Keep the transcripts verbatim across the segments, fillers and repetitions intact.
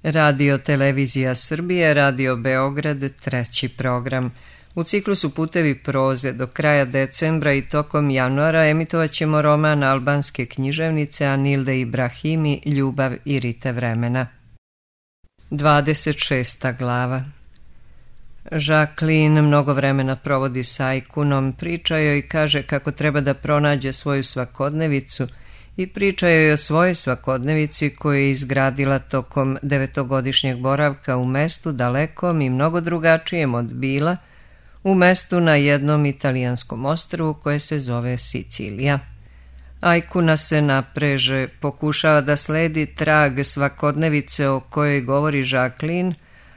Radio Televizija Srbije, Radio Beograd, treći program. U ciklusu Putevi proze do kraja decembra i tokom januara emitovat ćemo roman albanske književnice Anilde Ibrahimi Ljubav i rite vremena. dvadeset šesta glava. Jacqueline mnogo vremena provodi s Ajkunom, priča joj i kaže kako treba da pronađe svoju svakodnevicu i priča joj o svojoj svakodnevici koju je izgradila tokom devetogodišnjeg boravka u mestu dalekom i mnogo drugačijem od Bila, u mestu na jednom italijanskom ostrvu koje se zove Sicilija. Ajkuna se napreže, pokušava da sledi trag svakodnevice o kojoj govori Jacqueline,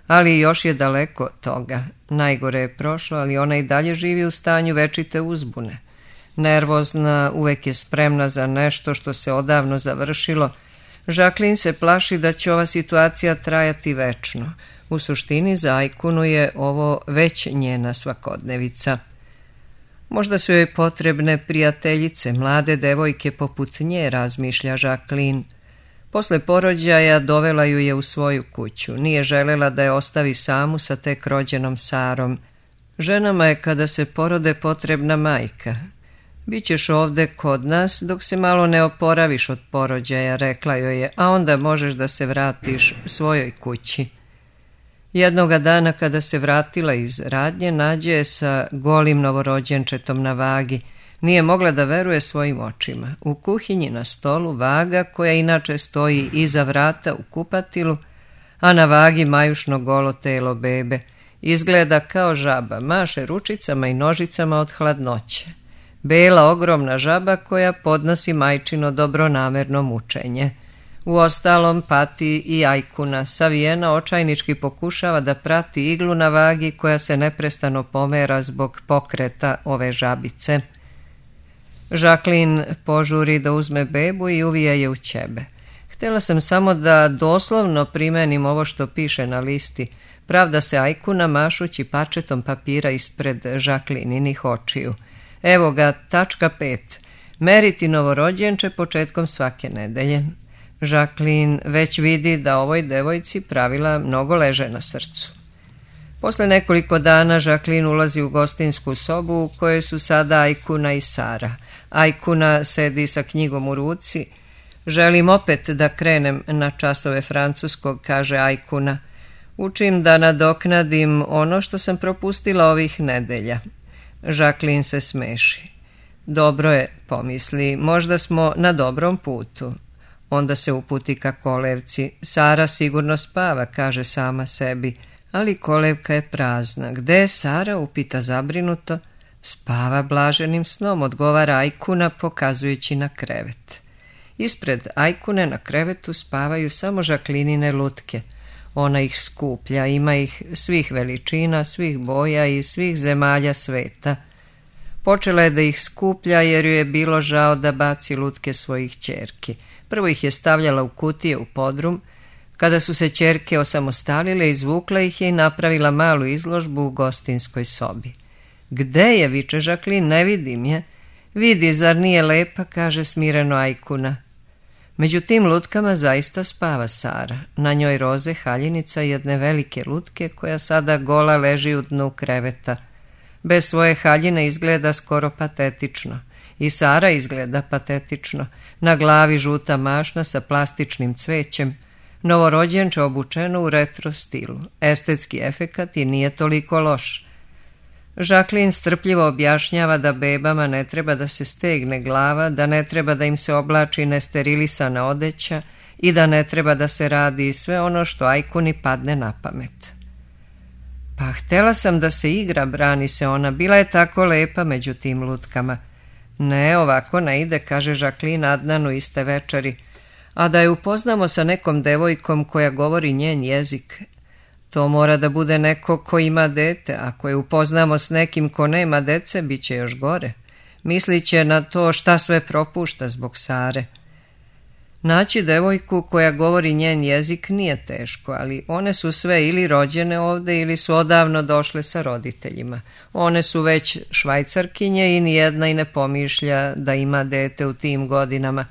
ali još je daleko od toga. Najgore je prošlo, ali ona i dalje živi u stanju večite uzbune. Nervozna, uvek je spremna za nešto što se odavno završilo. Jacqueline se plaši da će ova situacija trajati večno. U suštini za Ajkunu je ovo već njena svakodnevica. Možda su joj potrebne prijateljice, mlade devojke poput nje, razmišlja Jacqueline. Posle porođaja dovela ju je u svoju kuću. Nije želela da je ostavi samu sa tek rođenom Sarom. Ženama je kada se porode potrebna majka. Bićeš ovde kod nas dok se malo ne oporaviš od porođaja, rekla joj je, a onda možeš da se vratiš svojoj kući. Jednoga dana kada se vratila iz radnje, nađe je sa golim novorođenčetom na vagi. Nije mogla da veruje svojim očima. U kuhinji na stolu vaga koja inače stoji iza vrata u kupatilu, a na vagi majušno golo telo bebe. Izgleda kao žaba, maše ručicama i nožicama od hladnoće. Bela ogromna žaba koja podnosi majčino dobronamerno mučenje. Uostalom pati i Ajkuna, savijena očajnički pokušava da prati iglu na vagi koja se neprestano pomera zbog pokreta ove žabice. Jacqueline požuri da uzme bebu i uvija je u ćebe. Htjela sam samo da doslovno primenim ovo što piše na listi, pravda se Ajkuna mašući parčetom papira ispred Jacquelinenih očiju. Evo ga, tačka pet. Meriti novorođenče početkom svake nedelje. Jacqueline već vidi da ovoj devojci pravila mnogo leže na srcu. Posle nekoliko dana Jacqueline ulazi u gostinsku sobu u kojoj su sada Ajkuna i Sara. Ajkuna sedi sa knjigom u ruci. Želim opet da krenem na časove francuskog, kaže Ajkuna. Učim da nadoknadim ono što sam propustila ovih nedelja. Jacqueline se smeši. Dobro je, pomisli, možda smo na dobrom putu. Onda se uputi ka kolevci. Sara sigurno spava, kaže sama sebi, ali kolevka je prazna. Gde je Sara, upita zabrinuto. Spava blaženim snom, odgovara Ajkuna pokazujući na krevet. Ispred Ajkune na krevetu spavaju samo Jacquelinine lutke. Ona ih skuplja, ima ih svih veličina, svih boja i svih zemalja sveta. Počela je da ih skuplja jer ju je bilo žao da baci lutke svojih ćerki. Prvo ih je stavljala u kutije u podrum. Kada su se ćerke osamostalile, izvukla ih je i napravila malu izložbu u gostinskoj sobi. Gde je, viče Jacqueline, ne vidim je. Vidi, zar nije lepa, kaže smireno Ajkuna. Među tim lutkama zaista spava Sara. Na njoj roze haljinica jedne velike lutke koja sada gola leži u dnu kreveta. Bez svoje haljine izgleda skoro patetično. I Sara izgleda patetično. Na glavi žuta mašna sa plastičnim cvećem. Novorođenče obučeno u retro stilu. Estetski efekat i nije toliko loš. Jacqueline strpljivo objašnjava da bebama ne treba da se stegne glava, da ne treba da im se oblači nesterilisana odeća i da ne treba da se radi sve ono što Ajkuni padne na pamet. Pa htjela sam da se igra, brani se ona, bila je tako lepa među tim lutkama. Ne, ovako ne ide, kaže Jacqueline Adnanu iste večeri, a da je upoznamo sa nekom devojkom koja govori njen jezik. To mora da bude neko ko ima dete, ako je upoznamo s nekim ko nema dece, bit će još gore. Mislit će na to šta sve propušta zbog Sare. Naći devojku koja govori njen jezik nije teško, ali one su sve ili rođene ovde ili su odavno došle sa roditeljima. One su već Švajcarkinje i nijedna i ne pomišlja da ima dete u tim godinama.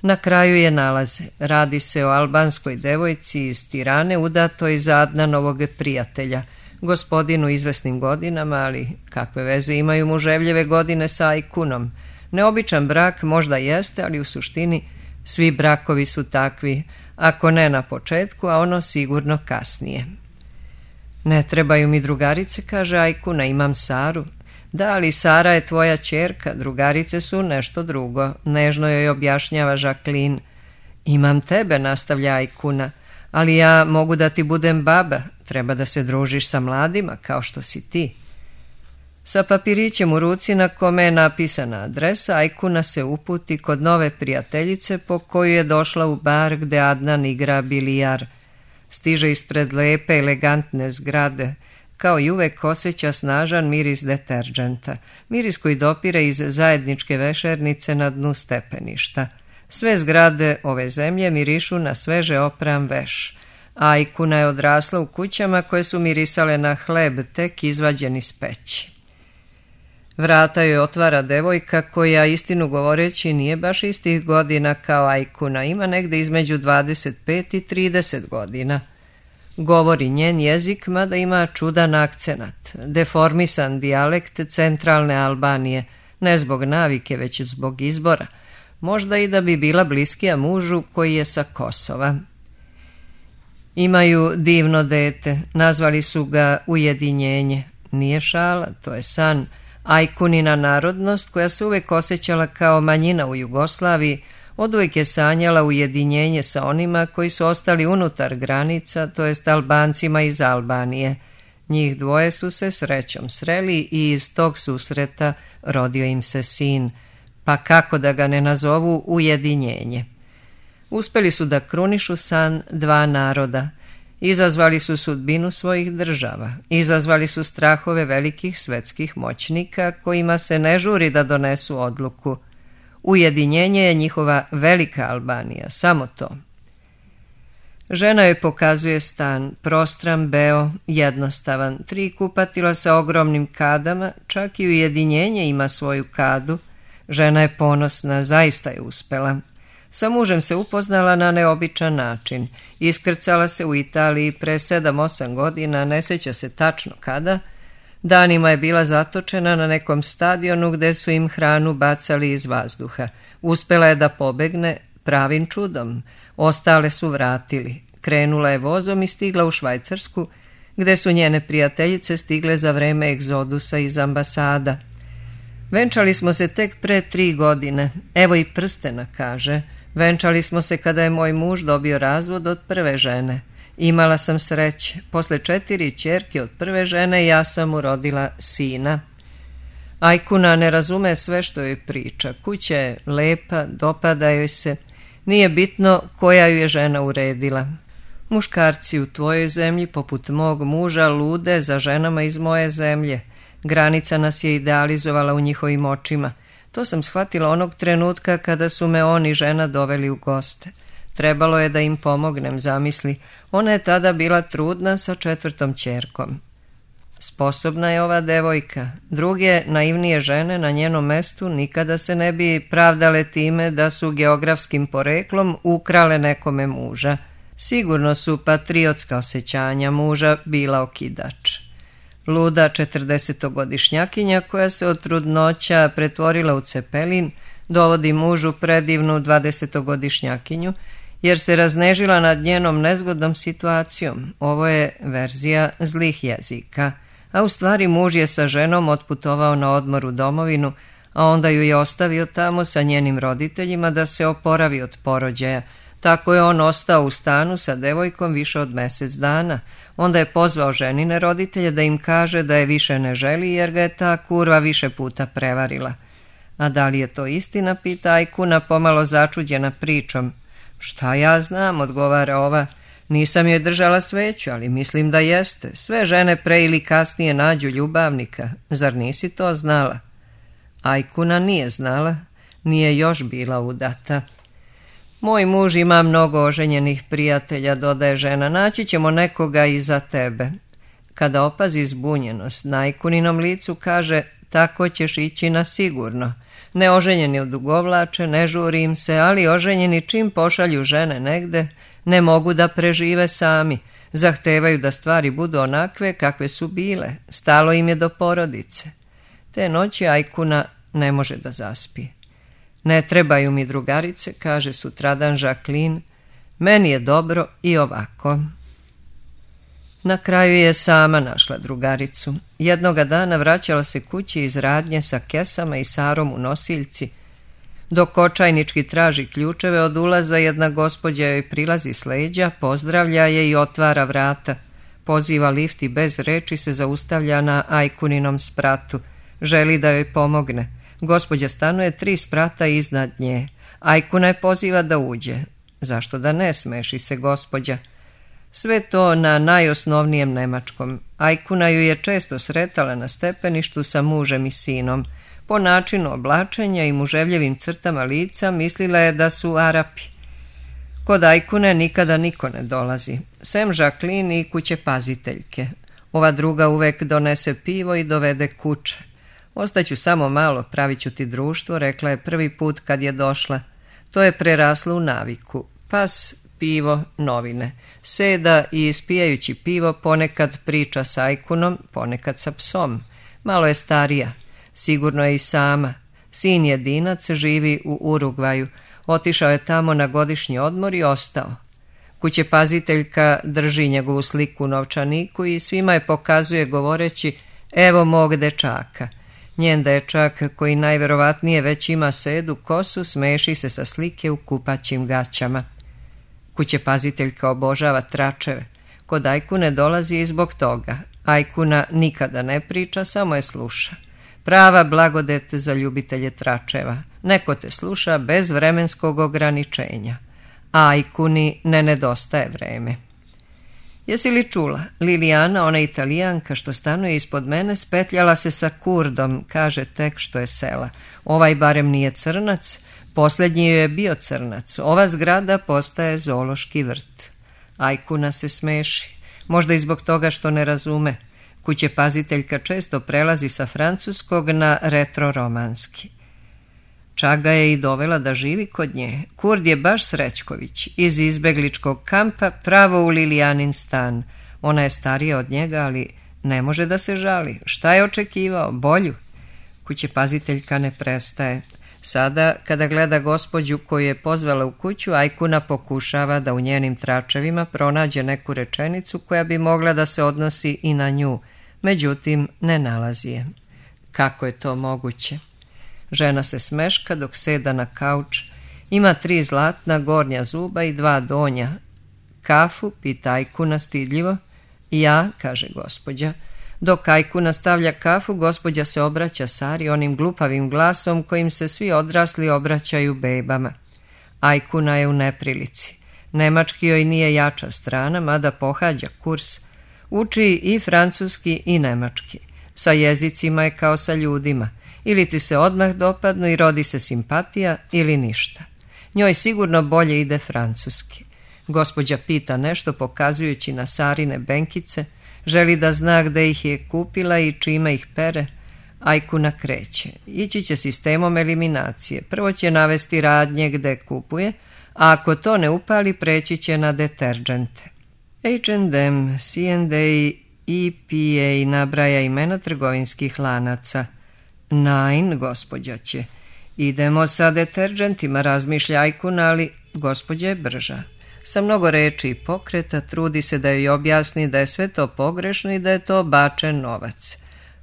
Na kraju je nalaze. Radi se o albanskoj devojci iz Tirane, udatoj za Adnanovog prijatelja, gospodinu izvesnim godinama, ali kakve veze imaju muževljeve godine sa Ajkunom? Neobičan brak možda jeste, ali u suštini svi brakovi su takvi, ako ne na početku, a ono sigurno kasnije. Ne trebaju mi drugarice, kaže Ajkuna, imam Saru. Da, ali Sara je tvoja ćerka, drugarice su nešto drugo, nežno joj objašnjava Jacqueline. Imam tebe, nastavlja Ajkuna, ali ja mogu da ti budem baba, treba da se družiš sa mladima kao što si ti. Sa papirićem u ruci na kome je napisana adresa, Ajkuna se uputi kod nove prijateljice po koju je došla u bar gde Adnan igra bilijar. Stiže ispred lepe, elegantne zgrade, kao i uvek osjeća snažan miris deterdženta, miris koji dopire iz zajedničke vešernice na dnu stepeništa. Sve zgrade ove zemlje mirišu na sveže opran veš. Ajkuna je odrasla u kućama koje su mirisale na hleb tek izvađen iz peći. Vrata joj otvara devojka koja, istinu govoreći, nije baš istih godina kao Ajkuna, ima negde između dvadeset pet i trideset godina. Govori njen jezik, mada ima čudan akcenat, deformisan dijalekt centralne Albanije, ne zbog navike, već zbog izbora, možda i da bi bila bliskija mužu koji je sa Kosova. Imaju divno dete, nazvali su ga Ujedinjenje. Nije šala, to je san. Ajkunina narodnost, koja se uvek osjećala kao manjina u Jugoslaviji, oduvek je sanjala ujedinjenje sa onima koji su ostali unutar granica, to jest Albancima iz Albanije. Njih dvoje su se srećom sreli i iz tog susreta rodio im se sin, pa kako da ga ne nazovu Ujedinjenje. Uspeli su da krunišu san dva naroda. Izazvali su sudbinu svojih država, izazvali su strahove velikih svetskih moćnika kojima se ne žuri da donesu odluku. Ujedinjenje je njihova velika Albanija, samo to. Žena joj pokazuje stan, prostran, beo, jednostavan, tri kupatila sa ogromnim kadama, čak i Ujedinjenje ima svoju kadu. Žena je ponosna, zaista je uspela. Sa mužem se upoznala na neobičan način. Iskrcala se u Italiji pre sedam osam godina, ne sjeća se tačno kada. Danima je bila zatočena na nekom stadionu gde su im hranu bacali iz vazduha. Uspela je da pobegne pravim čudom. Ostale su vratili. Krenula je vozom i stigla u Švajcarsku, gde su njene prijateljice stigle za vreme egzodusa iz ambasada. Venčali smo se tek pre tri godine. Evo i prstena, kaže. Venčali smo se kada je moj muž dobio razvod od prve žene. Imala sam sreće. Posle četiri ćerke od prve žene ja sam urodila sina. Ajkuna ne razume sve što joj priča. Kuća je lepa, dopada joj se. Nije bitno koja ju je žena uredila. Muškarci u tvojoj zemlji, poput mog muža, lude za ženama iz moje zemlje. Granica nas je idealizovala u njihovim očima. To sam shvatila onog trenutka kada su me on i žena doveli u goste. Trebalo je da im pomognem, zamisli. Ona je tada bila trudna sa četvrtom ćerkom. Sposobna je ova devojka. Druge, naivnije žene na njenom mestu nikada se ne bi pravdale time da su geografskim poreklom ukrale nekome muža. Sigurno su patriotska osjećanja muža bila okidač. Luda četrdesetogodišnjakinja koja se od trudnoća pretvorila u cepelin dovodi mužu predivnu dvadesetogodišnjakinju jer se raznežila nad njenom nezgodnom situacijom. Ovo je verzija zlih jezika. A u stvari muž je sa ženom otputovao na odmor u domovinu, a onda ju je ostavio tamo sa njenim roditeljima da se oporavi od porođaja. Tako je on ostao u stanu sa devojkom više od mjesec dana. Onda je pozvao ženine roditelje da im kaže da je više ne želi jer ga je ta kurva više puta prevarila. A da li je to istina, pita Ajkuna pomalo začuđena pričom. Šta ja znam, odgovara ova. Nisam joj držala sveću, ali mislim da jeste. Sve žene pre ili kasnije nađu ljubavnika. Zar nisi to znala? Ajkuna nije znala, nije još bila udata. Moj muž ima mnogo oženjenih prijatelja, dodaje žena, naći ćemo nekoga i za tebe. Kada opazi zbunjenost na Ajkuninom licu, kaže, tako ćeš ići na sigurno. Neoženjeni odugovlače, ne žuri im se, ali oženjeni čim pošalju žene negde, ne mogu da prežive sami. Zahtevaju da stvari budu onakve kakve su bile. Stalo im je do porodice. Te noći Ajkuna ne može da zaspi. Ne trebaju mi drugarice, kaže sutradan Jacqueline, meni je dobro i ovako. Na kraju je sama našla drugaricu. Jednoga dana vraćala se kući iz radnje sa kesama i Sarom u nosiljci. Dok očajnički traži ključeve od ulaza, jedna gospođa joj prilazi s leđa, pozdravlja je i otvara vrata. Poziva lift i bez reči se zaustavlja na Ajkuninom spratu. Želi da joj pomogne. Gospođa stanuje tri sprata iznad nje. Ajkuna je poziva da uđe. Zašto da ne, smeši se gospođa. Sve to na najosnovnijem nemačkom. Ajkuna ju je često sretala na stepeništu sa mužem i sinom. Po načinu oblačenja i muževljevim crtama lica mislila je da su Arapi. Kod Ajkune nikada niko ne dolazi, sem Jacqueline i kuće paziteljke. Ova druga uvek donese pivo i dovede kuće. Ostaću samo malo, pravit ću ti društvo, rekla je prvi put kad je došla. To je preraslo u naviku. Pas, pivo, novine. Seda i ispijajući pivo ponekad priča s Ajkunom, ponekad sa psom. Malo je starija. Sigurno je i sama. Sin jedinac živi u Urugvaju. Otišao je tamo na godišnji odmor i ostao. Kućepaziteljka drži njegovu sliku u novčaniku i svima je pokazuje govoreći evo mog dečaka. Njen dečak, koji najverovatnije već ima sedu kosu, smeši se sa slike u kupaćim gaćama. Kućepaziteljka obožava tračeve. Kod Ajkune dolazi i zbog toga. Ajkuna nikada ne priča, samo je sluša. Prava blagodet za ljubitelje tračeva. Neko te sluša bez vremenskog ograničenja. A Ajkuni ne nedostaje vreme. Jesi li čula? Lilijana, ona Italijanka što stanuje ispod mene, spetljala se sa Kurdom, kaže tek što je sela. Ovaj barem nije crnac, posljednji je bio crnac. Ova zgrada postaje zoološki vrt. Ajkuna se smeši, možda i zbog toga što ne razume. Kućepaziteljka često prelazi sa francuskog na retroromanski. Čak ga je i dovela da živi kod nje. Kurd je baš Srećković, iz izbegličkog kampa pravo u Lilijanin stan. Ona je starija od njega, ali ne može da se žali. Šta je očekivao? Bolju? Kućepaziteljka ne prestaje. Sada, kada gleda gospođu koju je pozvala u kuću, Ajkuna pokušava da u njenim tračevima pronađe neku rečenicu koja bi mogla da se odnosi i na nju. Međutim, ne nalazi je. Kako je to moguće? Žena se smeška dok seda na kauč. Ima tri zlatna gornja zuba i dva donja. Kafu, pita Ajkuna stidljivo. Ja, kaže gospođa. Dok Ajkuna stavlja kafu, gospođa se obraća Sari onim glupavim glasom kojim se svi odrasli obraćaju bebama. Ajkuna je u neprilici. Nemački joj nije jača strana, mada pohađa kurs. Uči i francuski i nemački. Sa jezicima je kao sa ljudima. Ili ti se odmah dopadnu i rodi se simpatija ili ništa. Njoj sigurno bolje ide francuski. Gospođa pita nešto pokazujući na Sarine benkice, želi da zna gde ih je kupila i čime ih pere. Ajkuna kreće. Ići će sistemom eliminacije. Prvo će navesti radnje gde kupuje, a ako to ne upali, preći će na deterđente. H and M, C and A, E P A nabraja imena trgovinskih lanaca. Nein, gospođa će. Idemo sa deterđentima, razmišlja Ajkuna, ali gospođa je brža. Sa mnogo reči i pokreta trudi se da joj objasni da je sve to pogrešno i da je to bačen novac.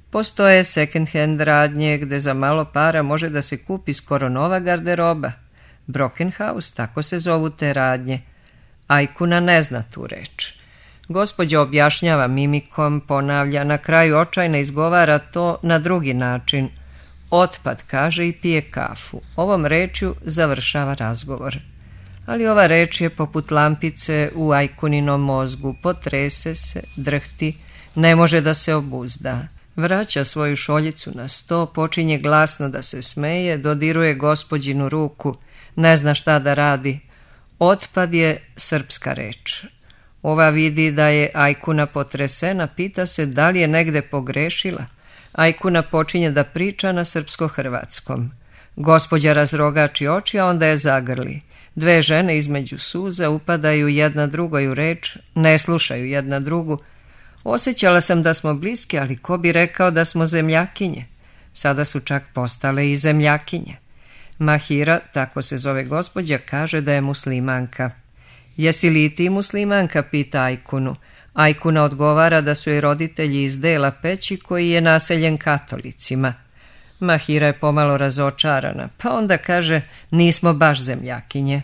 Postoje second hand radnje gde za malo para može da se kupi skoro nova garderoba. Brockenhaus, tako se zovu te radnje. Ajkuna ne zna tu reč. Gospođa objašnjava mimikom, ponavlja, na kraju očajno izgovara to na drugi način. Otpad, kaže i pije kafu. Ovom rečju završava razgovor. Ali ova reč je poput lampice u Ajkuninom mozgu. Potrese se, drhti, ne može da se obuzda. Vraća svoju šoljicu na sto, počinje glasno da se smeje, dodiruje gospođinu ruku, ne zna šta da radi. Otpad je srpska reč. Ova vidi da je Ajkuna potresena, pita se da li je negde pogrešila. Ajkuna počinje da priča na srpsko-hrvatskom. Gospođa razrogači oči, a onda je zagrli. Dve žene između suza upadaju jedna drugoj u reč, ne slušaju jedna drugu. Osjećala sam da smo bliski, ali ko bi rekao da smo zemljakinje? Sada su čak postale i zemljakinje. Mahira, tako se zove gospođa, kaže da je muslimanka. Jesi li i ti muslimanka, pita Ajkunu. Ajkuna odgovara da su joj roditelji iz dela Peći koji je naseljen katolicima. Mahira je pomalo razočarana, pa onda kaže nismo baš zemljakinje.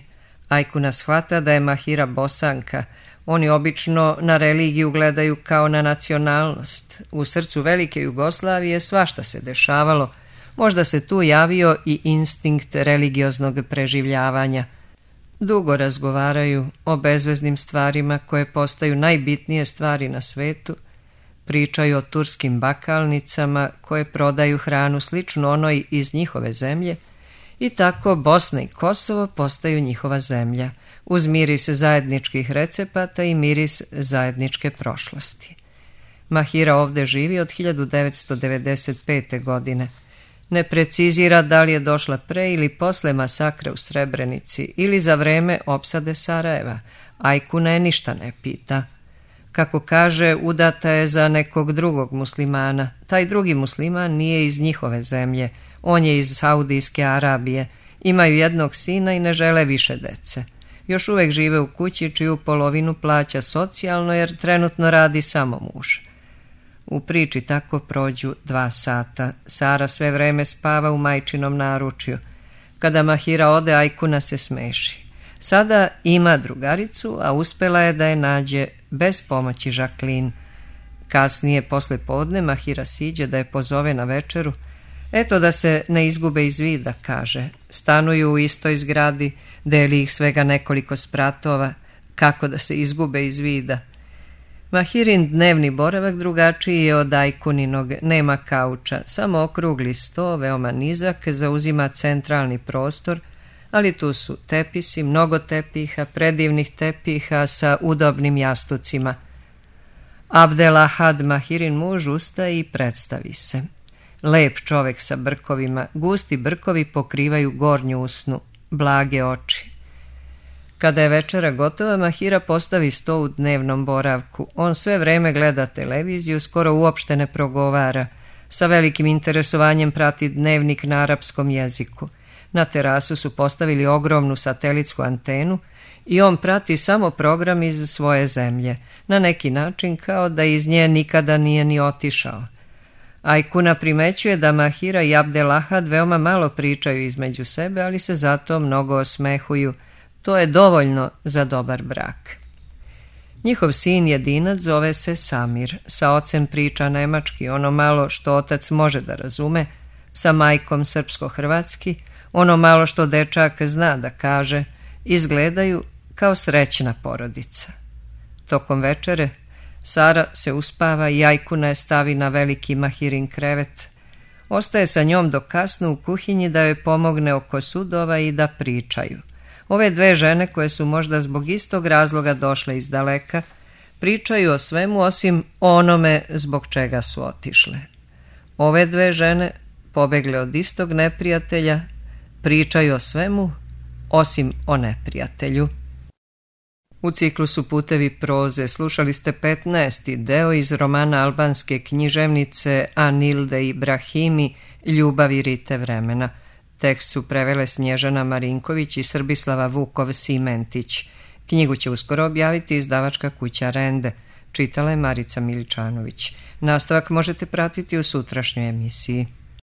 Ajkuna shvata da je Mahira Bosanka. Oni obično na religiju gledaju kao na nacionalnost. U srcu velike Jugoslavije svašta se dešavalo. Možda se tu javio i instinkt religioznog preživljavanja. Dugo razgovaraju o bezveznim stvarima koje postaju najbitnije stvari na svetu. Pričaju o turskim bakalnicama koje prodaju hranu sličnu onoj iz njihove zemlje i tako Bosna i Kosovo postaju njihova zemlja, uz miris zajedničkih recepata i miris zajedničke prošlosti. Mahira ovdje živi od hiljadu devetsto devedeset pete. godine. Ne precizira da li je došla pre ili posle masakra u Srebrenici ili za vreme opsade Sarajeva. Ajkuna je ništa ne pita. Kako kaže, udata je za nekog drugog muslimana. Taj drugi musliman nije iz njihove zemlje. On je iz Saudijske Arabije. Imaju jednog sina i ne žele više dece. Još uvijek žive u kući čiju polovinu plaća socijalno jer trenutno radi samo muž. U priči tako prođu dva sata. Sara sve vreme spava u majčinom naručju. Kada Mahira ode, Ajkuna se smeši. Sada ima drugaricu, a uspela je da je nađe bez pomoći Žaklin. Kasnije, posle podne, Mahira siđe da je pozove na večeru. Eto da se ne izgube iz vida, kaže. Stanuju u istoj zgradi, deli ih svega nekoliko spratova. Kako da se izgube iz vida? Mahirin dnevni boravak drugačiji je od Ajkuninog, nema kauča, samo okrugli sto, veoma nizak, zauzima centralni prostor, ali tu su tepisi, mnogo tepiha, predivnih tepiha sa udobnim jastucima. Abdelahad, Mahirin muž, ustaje i predstavi se. Lep čovek sa brkovima, gusti brkovi pokrivaju gornju usnu, blage oči. Kada je večera gotova, Mahira postavi sto u dnevnom boravku. On sve vreme gleda televiziju, skoro uopšte ne progovara. Sa velikim interesovanjem prati dnevnik na arapskom jeziku. Na terasu su postavili ogromnu satelitsku antenu i on prati samo program iz svoje zemlje, na neki način kao da iz nje nikada nije ni otišao. Ajkuna primećuje da Mahira i Abdelahad veoma malo pričaju između sebe, ali se zato mnogo osmehuju. To je dovoljno za dobar brak. Njihov sin jedinac zove se Samir. Sa ocem priča nemački, ono malo što otac može da razume, sa majkom srpsko-hrvatski, ono malo što dečak zna da kaže, izgledaju kao srećna porodica. Tokom večere Sara se uspava i Ajkuna je stavi na veliki Mahirin krevet. Ostaje sa njom do kasno u kuhinji da joj pomogne oko sudova i da pričaju. Ove dve žene, koje su možda zbog istog razloga došle iz daleka, pričaju o svemu osim onome zbog čega su otišle. Ove dve žene, pobegle od istog neprijatelja, pričaju o svemu osim o neprijatelju. U ciklusu Putevi proze slušali ste petnaesti deo iz romana albanske književnice Anilde Ibrahimi Ljubav i rite vremena. Tekst su prevele Snježana Marinković i Srbislava Vukov-Simentić. Knjigu će uskoro objaviti izdavačka kuća Rende. Čitala je Marica Miličanović. Nastavak možete pratiti u sutrašnjoj emisiji.